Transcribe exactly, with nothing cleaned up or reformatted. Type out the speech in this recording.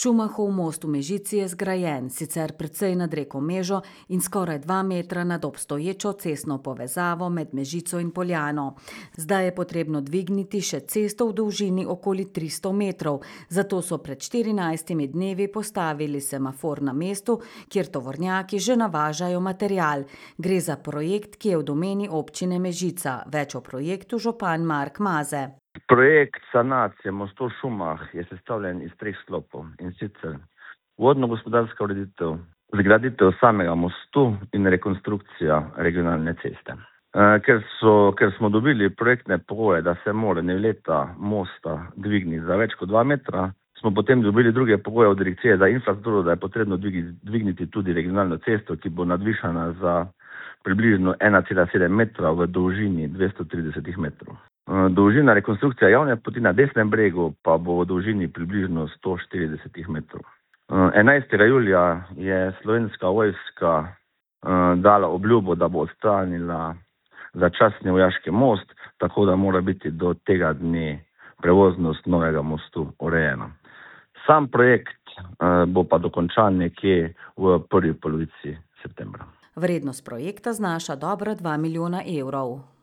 Šumahov most v Mežici je zgrajen, sicer precej nad reko Mežo in skoraj dva metra nad obstoječo cestno povezavo med Mežico in Poljano. Zdaj je potrebno dvigniti še cesto v dolžini okoli tristo metrov, zato so pred štirinajstimi dnevi postavili semafor na mestu, kjer tovornjaki že navažajo material. Gre za projekt, ki je v domeni občine Mežica. Več o projektu župan Mark Maze. Projekt sanacije mostu v Šumah je sestavljen iz treh sklopov, in sicer vodno-gospodarska ureditev, zgraditev samega mostu in rekonstrukcija regionalne ceste. Ker, so, ker smo dobili projektne pogoje, da se mora nevleta mosta dvigniti za več kot dva metra, smo potem dobili druge pogoje od direkcije za infrastrukturo, da je potrebno dvigniti tudi regionalno cesto, ki bo nadvišana za približno ena cela sedem metra v dolžini dvesto trideset metrov. Dolžina rekonstrukcije javne poti na desnem bregu pa bo v dolžini približno sto štirideset metrov. enajstega julija je Slovenska vojska dala obljubo, da bo odstranila začasni vojaški most, tako da mora biti do tega dne prevoznost novega mostu urejena. Sam projekt bo pa dokončan nekje v prvi polovici septembra. Vrednost projekta znaša dobra dva milijona evrov.